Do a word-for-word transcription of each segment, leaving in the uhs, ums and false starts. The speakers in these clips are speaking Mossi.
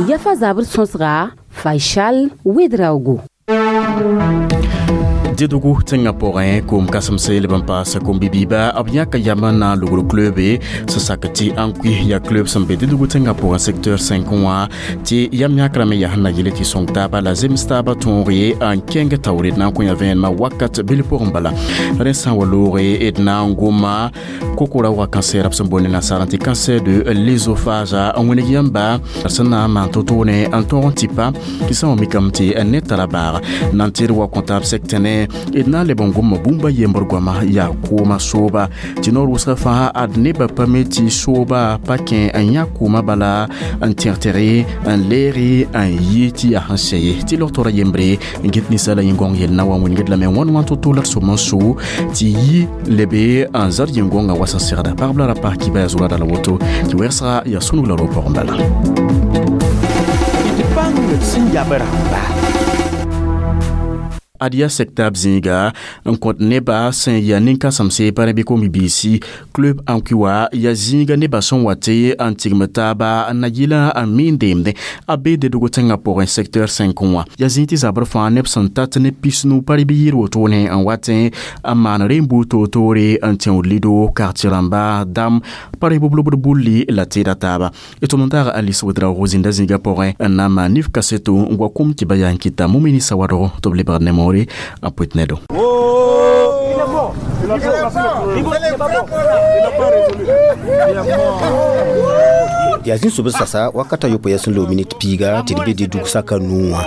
Yafa zabr sõsga Faisal Ouédraogo. Dédougou tẽngã pʋgẽ koom kãsemse leb n paas kom-bi-biiba b yãka yam n na n logr club sẽn sak tɩ Ankoui yaa club sẽn be Dédougou tẽngã pʋgẽ secteur cinq wã tɩ yam yãkrã me yaa sẽn na yele tɩ sõng taaba la zems taaba tõog ye n kẽng taoore d na n kõ ya vẽenemã wakat bil pʋgẽ bala rẽ sã n wa looge d na n goma kokora wa cancer b sẽn boond nasaar tɩ cancer de l'œsophage n wẽneg yãmba sẽn na n maan to-toone n tõog n tɩpa tɩ sã n wa mikame tɩ ned tara baag na n tɩd wa kõ taab sɛk tẽne d na n leb n gomma bũmba yembr goama yaa kooma sooba tɩ noor wʋsga fãa ad nebã pa me tɩ sooba pa kẽ n yã kooma bala n tẽg-tẽge n leere n yi tɩ yaa sẽn sɛ ye tɩ log-toora yembre n get ninsaala yĩn-gõng yell na wa wĩngd lame wãn wãn to-to la d som n so tɩ yi lebe n zad yĩn-gõngã wa sẽn segda pagb la ra pas kiba yaa zʋrada la woto tɩ wɛgsga yaa sũnug la ro pʋgẽ bala. D bãng d sẽn yab rãmba. Ad yaa sɛk-taab zĩiga n kõt nebã sẽn yaa nin-kãsemse pa rẽ bɩ kom-bi-biisi club Ankoui wa yaa zĩiga nebã sẽn wa tɩ n tigm taaba n na yɩla n miin deemdẽ a be Dédougou tẽngã pʋgẽ secteur cinq wã yaa zĩig tɩ zabr fãa neb sẽn tat ne pisnu pa rẽ bɩ yɩɩr wotone n watẽ n maan rem-buud toor-toore n tẽod lido quartier rãmba dam pa rẽ b lobd bulli la tɩɩda taaba d tʋm n taag Alice Ouédraogo zĩnda zĩigã pʋgẽ n na n maan nif kaseto n wa kum tɩ ba yaa n kɩta Mumini Sawadogo tɩ b lebgd ne moore n pʋɩt ne do. Yaa zĩ sob sasa wakata yopoe yaa sẽn loog minit piiga tɩ d be Dédougou saka nuu wã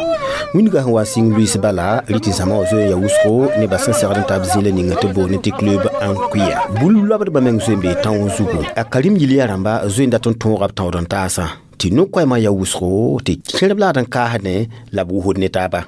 wĩndgã sẽn wa n sɩng luiis bala rɩ tɩ zãma wã zoe n ya wʋsgo nebã sẽn segd n tab zĩila ninga tɩ boond tɩ club Ankoui bul loabdbã meng zoe n bee tão zugu a karim yil yaa rãmba zoe n dat n tõoga b tãood n taasã tɩ no-koɛɛmã yaa wʋsgo tɩ kẽrb laad n kaasdẽ la b wʋsd ne taaba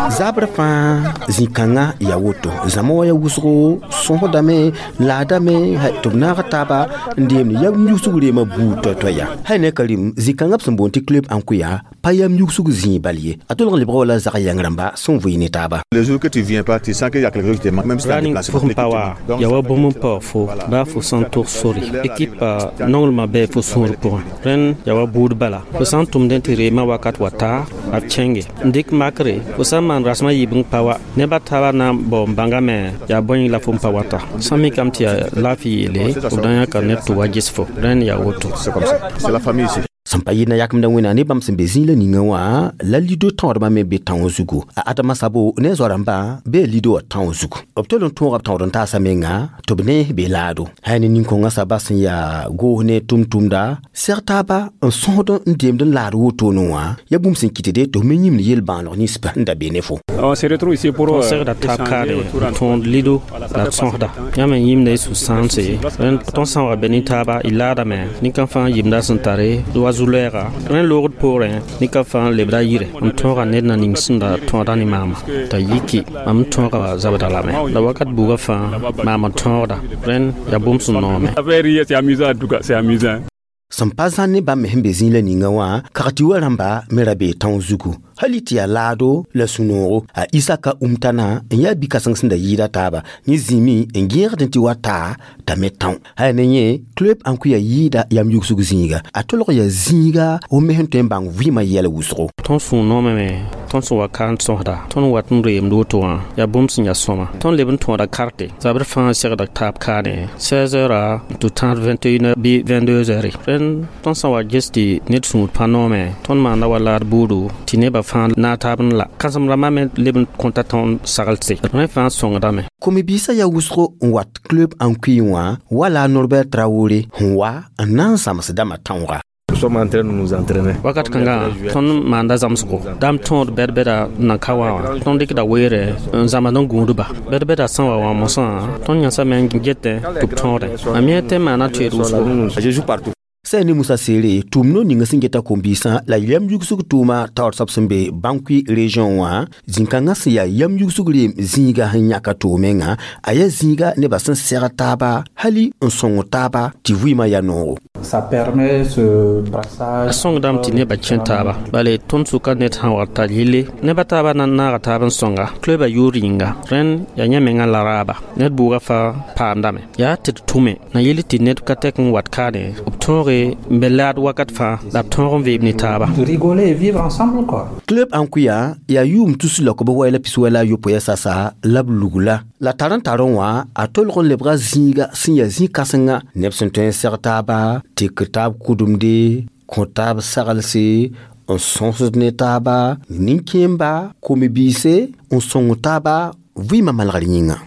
zabr fãa zĩ-kãngã yaa woto zãma wã yaa wʋsgo sõsdame laadame tɩ b naag taaba n deemd yam yugsg reemã buud toay-toaya hay ne karim zĩ-kãngã b sẽn boond tɩ club Ankoui pa yam yugsg zĩig bal ye a tolg n lebga wala zag yãng rãmba sẽn vɩɩ ne taaba. Le jour que tu viens pas, tu sens qu'il y a quelque chose qui te manque, même si tu as déplacé. Pʋgẽ pa wa yaa wa bũmb n paoog fo baa fo sã n tog sore ekipa nonglmã bɩ fo sũur pʋgẽ rẽnd yaa wa buud bala fo sã n tʋmdẽ tɩ reemã wakat wa taa b kẽnge n dɩk makre fo sã n maan rasmã yiib n pa wa nebã taabã na n bao n bãngame yaa bõe la fo n pa wata sã n mikame tɩ yaa laafɩ yeele b da yãka ned tɩ wa ges fo rẽnd yaa woto. C'est comme ça. C'est la famille ici. Sẽn pa yɩɩd na yakemda wẽnnaam ne bãmb sẽn be zĩig la ninga wã la lido tãoodbã me be tão zugu a adama sabo ne a zoa-rãmbã bee lido wã tão zugu b tol n tõoga b tãood n taasa menga tɩ b ne be laado hay ne nin-kõngã saba sẽn yaa goos ne tʋm-tʋmda seg taaba n sõsd n deemd n laad wotone wã yaa bũmb sẽn kɩtde tɩ f me yĩmd yel-bãaneg ninsba n da be ne fo. On se retrouve ici pour tõnd segda taab kaare n tõod lido la d sõsda yãmb n yĩmda y sũ-sãamse tõnd sã n wa be ne taaba y laadame nin-kã fãa yimda sẽn tare wa zu-lɛɛga rẽ loogd poorẽ nin-kã fãa lebda yire n tõoga ned na ning sẽn da tõoda ne maama t'a yiki mam n tõoga zabda lame la wakat buugã fãa maam n tõogda rẽnd yaa bũmb sẽn noome. C'est amusant en tout cas, c'est amusant. Sẽn pa zãn ne bãmb me sẽn be zĩig la ninga wã kag tɩ wa rãmba me ra bee tão zugu hali tɩ yaa laado la sũ-noogo a Isaka Umtana n yaa bi-kãseng sẽn da yɩɩda taaba yẽ zĩime n gẽegd tɩ wa taa t'a me tão haya ne yẽ club Ankoui yɩɩda yam yugsg zĩiga a tolg yaa zĩiga f me sẽn tõe n bãng vɩɩmã yɛl wʋsgo. Tõnd sũ noomame tõnd sẽn wa ka n sõsda tõnd wat n reemd woto wã yaa bũmb sẽn yaa sõma tõnd leb n tõoda karte zabr fãa segda taab kaane seize heures tɩ tãad vingt et une heures bɩ vingt-deux heures rẽnd tõnd sã n wa ges tɩ ned sũur pa noome tõnd maanda wa laad buudu tɩ nebã fãa naag taab n la kãsem rãmbã me leb n kõta tõnd saglse rẽ fãa sõngdame. Kom-biisã yaa wʋsgo n wat club Ankoui wã wala Norbert Traoré sẽn wa n na n zãmsdãmã tãooga. Nous sommes en train de nous entraîner. Wakat kãngã tõnd maanda zãmsgo dam tõod bɛd-bɛda n na ka wã wã tõnd dɩkda weere n zãmsd n gũudba bɛd-bɛda sã n wa wã mosã tõnd yãsame n getẽ tɩ b tõodẽ mam yẽ tɩ maana toeed wʋsgo. Je joue partout. Sã ne Musa Seere tʋʋm no ninga sẽn geta kom-biisã la yam yugsg tʋʋma taoor soab sẽn be Bankui région wã zĩ-kãngã sẽn yaa yam yugsg reem zĩiga sẽn yãka toog menga a yaa zĩiga nebã sẽn seg taaba hali n sõng taaba tɩ vɩɩmã yaa noogo. Ça permet ce brassage. A sõngdame tɩ nebã kẽ taaba bale tõnd sʋka ned sã wa tar yelle nebã taabã na n naaga taab n sõnga cluba yʋʋr yĩnga rẽnd yaa yã menga la raaba ned bʋʋga fãa paamdame yaa tɩ d tʋme na yell tɩ ned ka tɛk n wat kaane b tõoge n be laad wakat fãa la b tõog n veeb ne taaba. Rigoler et vivre ensemble quoi. Club ãnkuya yaa yʋʋm tus la kob wɛɛla pis wɛla a yopoe sasa la b lugla la tar n tar n wã a tolg n lebga zĩiga sẽn yaa zĩ-kãsenga neb sẽn tõe n seg taaba tek taab kʋdemde kõ taab saglse n sõsd ne taaba nin-kẽemba kom-biise n sõng taaba vɩɩmã malgr yĩnga.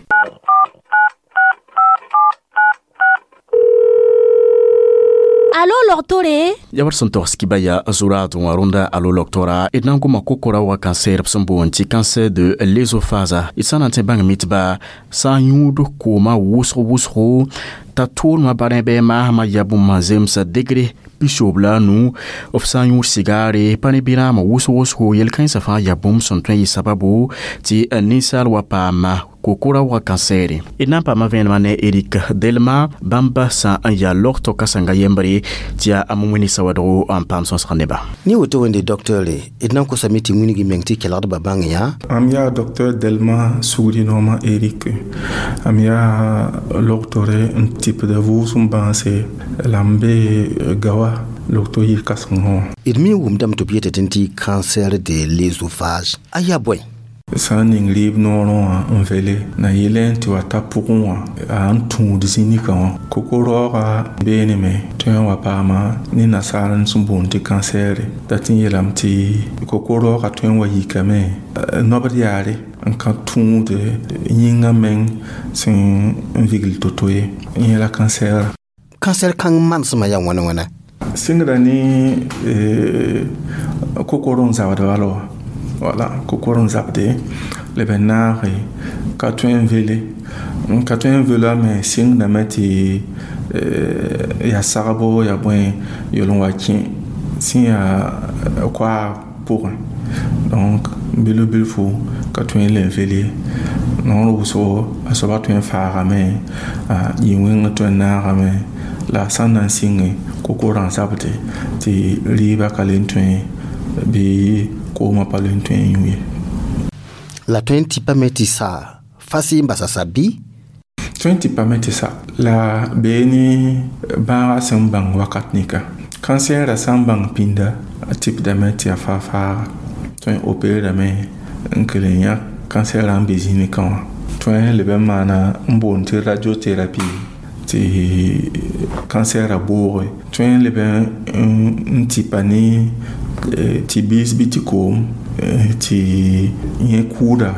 Alo logtore? Ya war sẽn togs kiba yaa zuraad wã rõnda alo logtora d na n goma kokora wa cancer b sẽn boond tɩ cancer de l'œsophage d sã n na n tẽ bãng mitba sã n yũud kooma wʋsg wʋsgo t'a tʋʋlmã barẽ bɩ maasmã yaa bũmb zemsa degré pisoob la a nu f sã n yũud sigaare pa ne bɩrãamã wʋsg wʋsgo yel-kãensã fãa yaa bũmb sẽn tõe n yɩ sababu tɩ ninsaal wa paama kokora wa kansɛɛre d na n paama vẽenemã ne Erik Delma bãmba sã n yaa logto kãsenga yembre tɩ yaa a wẽne sawadgo n paam sõsg neba. Ne woto wẽnde docteur d na n kosame tɩ wilg meng tɩ kelgdbã bãng yã. Am yaa docteur Delma sugri noomã Erik am yaa logtore n tipda vʋʋsem bãase la m be gawa logto yir kãsengã wã. D me wʋmdame tɩ b yeta tɩ tɩ cancer de l'œsophage a yaa bõe? Sã n ning rɩɩb noorẽ wã n vele na yɩlẽ tɩ wa ta pʋgẽ wã a n tũud zĩ-nika wã koko-raooga beeneme tõe n wa paama ne nasaar n sẽn boond tɩ kansɛɛre dat n yeelame tɩ koko-raooga tõe n wa yikame nobd yaare n ka tũud yĩngã meng sẽn n vigl to-to ye n yẽla kansɛɛra. Kansɛr kãng manesmã yaa wãna wãna? Sɩngra ne kokor n zabd bala wã. Voilà, kokor n zabde leb n naage ka tõe n vele n ka tõe n velame sɩngdame tɩ yaa sagbo yaa bõe yel n wa kẽ sẽn yaa koaag pʋgẽ donc bilf bilfu ka tõe n le n vel ye noor wʋsgo a soaba tõe n faagame yĩn-wẽng tõe n naagame la sã n na n sɩnge kokorã n zabde tɩ rɩɩbã ka le n tõe bɩ koomã pa le n tõe n yũ ye. La tõe n tɩpame tɩ sa fas n basa sa bɩ? Tõe n tɩpame tɩ sa la bee ne bãaga sẽn bãng wakat nika kansɛɛrã sã n bãng pĩnda a tɩpdame tɩ yaa faa-faaga tõe n opéerame n kell n yãk kansɛɛrã n be zĩ-nikã wã tõe n leb n maana n boond tɩ radiothérapie tɩ kansɛɛrã booge tõe n leb n tɩpa ne tɩ biis bɩ tɩ koom tɩ yẽ kʋʋda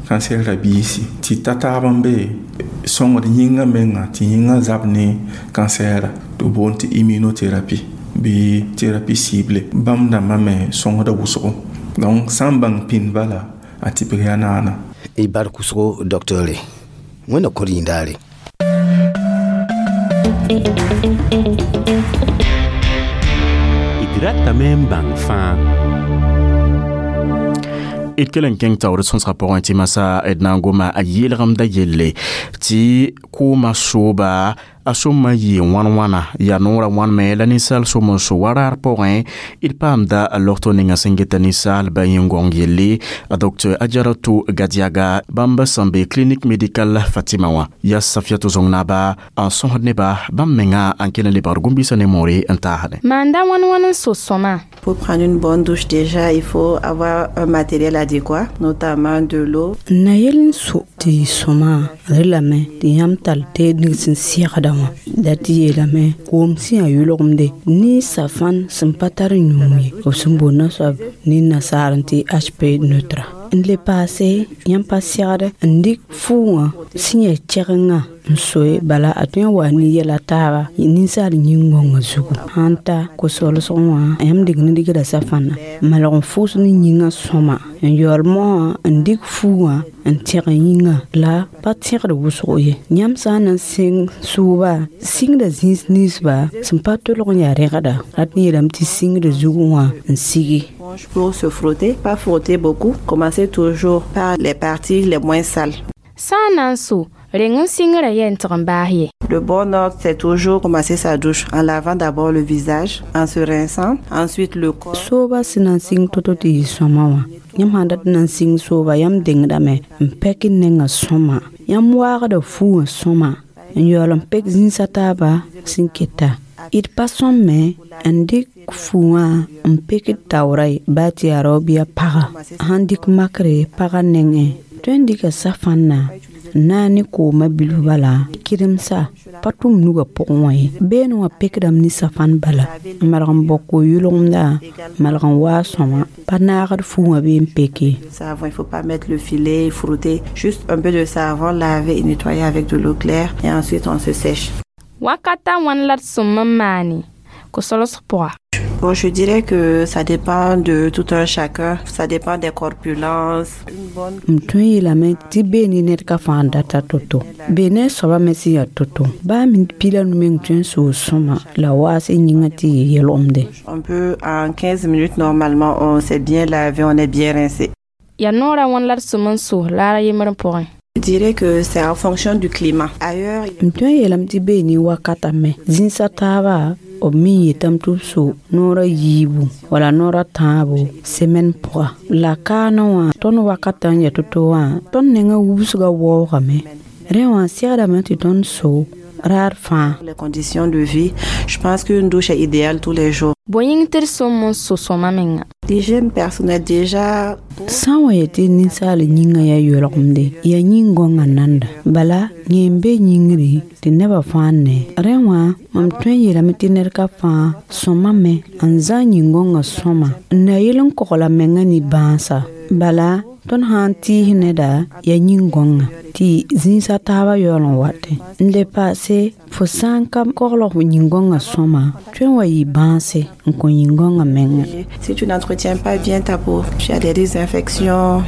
kansɛɛrã biisi tɩ ta taab n be sõngd yĩngã menga tɩ yĩngã zab ne kansɛɛra tɩ b boond tɩ immunothérapie bɩ thérapie cible bãmb dãmbã me sõngda wʋsgo donc sã n bãng pĩnd bala a tɩpg yaa naana. Y bark wʋsgo docteur wẽnna kõr yĩndaare. D ratame n bãng fãa. D kell n kẽng taoor sõsgã pʋgẽ tɩ masã d na n goma a yeelgemda yelle tɩ koomã sooba a sõma yɩ wãn-wãna yaa noorã wãnme la ninsaal som n so wa raar pʋgẽ d paamda logto ninga sẽn geta ninsaalba yĩn-gõng yelle a docteur Adjaratou Gadiaga bãmb sẽn be clinique médicale Fatima wã yaa Safiatou Zong-Naba n sõsd neba bãmb menga n kell n lebgd gũm-biisã ne moore n taasdẽ. Maanda wãn-wãn n so sõma. Pour prendre une bonne douche déjà, il faut avoir un matériel adéquat, notamment de l'eau. Na yel n so tɩ sõma relame tɩ yãmb tall teed ning sẽn sɩgda wã la tɩ yeelame koom sẽn yaa yʋlgemde ne safan sẽn pa tar yũu ye b sẽn boond soab ne nasaar n tɩ H P neutre n le paase yãmb pa segd n dɩk fʋʋngã sẽn yaa kɛgengã n soe bala a tõe n wa ne yɛla taaba ninsaal yĩn-gõngã zugu sãn ta ko-solsg wã yãmb dɩk ne dɩkda safãna malg n fʋʋs ne yĩngã sõma n yaool moasã n dɩk fuugã n tẽg yĩngã la pa tẽgd wʋsgo ye yãmb sã n na n sẽng sʋʋba sɩngda zĩis ninsba sẽn pa tolg n yaa rẽgda rat n yeelame tɩ sɩngda zugẽ wã n sigi. Pour se frotter, pas frotter beaucoup, commencez toujours par les parties les moins sales. Sã n na n so Reng n sɩngrã yɛ n tɩg n baas ye. Le bon ordre, c'est toujours commencer sa douche en lavant d'abord le visage, en se rinçant, ensuite le corps. Sooba sẽn na n sɩng to-to tɩ yɩ sõma wã yãmb sãn dat n na n sɩng sooba yãmb dengdame n pɛk n nengã sõma yãmb waagda fu wã sõma n yaool n pek zĩnsa taaba sẽn keta d pa sõmme n dɩk fu wã n pek d taoora ye baa tɩ yaa rao bɩ a paga sãn dɩk makre pagã nengẽ tõe n dɩka safãnna n na ne koomã bilf bala kɩdemsa pa tʋm nugã pʋgẽ wã ye beene wã pekdame ne safãn bala n malg n bao ko-yʋlgemda malg n waa sõma pa naagd fu wã bee n peke. Savon, il faut pas mettre le filet, frotter, juste un peu de savon, laver et nettoyer avec de l'eau claire et ensuite on se sèche. Wakata wãn la d sõm n maane ko-solsg pʋga? Bon, je dirais que ça dépend de tout un chacun, ça dépend des corpulences. M tõe n yeelame tɩ bee ne ned ka fãa n data to-to bee ne soabã me sẽn yaa to-to baa minit piig la nu meng tõe n soog sõma la waas n yĩngã tɩ yɩ yelgemde. On peut, en quinze minutes, normalement, on s'est bien lavé, on est bien rincé. Yaa noorã wãn la d sõm n so laar a yembr pʋgẽ? Je dirais que c'est en fonction du climat. Ailleurs, M tõe n yeelame tɩ bee ne wakata me zĩnsa taaba b me yetame tɩ b so noorã yiibu wala noorã tãabo semaine pʋga la kaanã wã tõnd wakatã n yaa to-to wã tõnd nengã wubsgã waoogame rẽ wã segdame tɩ tõnd so raar fãa. Les conditions de vie, je pense qu'une douche est idéale tous les jours. Bõe yĩng tɩ d sõm n so sõma menga? L'hygiène personnelle déjà. Sã n wa yetɩ ninsaal yĩngã yaa yolgemde yaa yĩn-gõngã nanda bala yẽ n be yĩngri tɩ nebã fãa ne rẽ wã mam tõe n yeelame tɩ ned ka fãa sõmame n zã yĩn-gõngã sõma n na yel n kogla menga ne bãasa bala tõnd sã n tɩɩs neda yaa yĩn-gõngã tɩ zĩisa taabã yaool n watẽ n le paase fo sã n ka koglg f yĩn-gõngã sõma tõe n wa yɩ bãase n kõ yĩn-gõngã menga. Si tu n'entretiens pas bien ta peau, tu as des risques d'infection.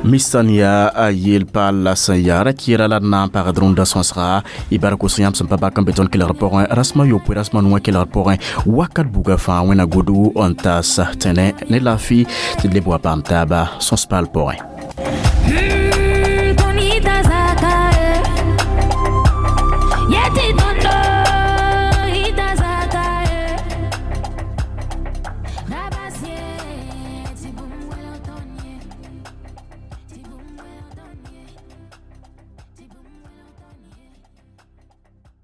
Mistan yaa a yel paal la sẽn yaa ra kɩɩra la d na n pagd rũndã sõsga y bark sẽn yãmb sẽn pa bak n be tõnd kelgr pʋgẽ rasmã yopoe rasmã nuwã kelgr pʋgẽ wakat buga fãa wẽna godo n taas tẽne ne laafɩ tɩ d leb wa paam taaba sõs paal pʋgẽ.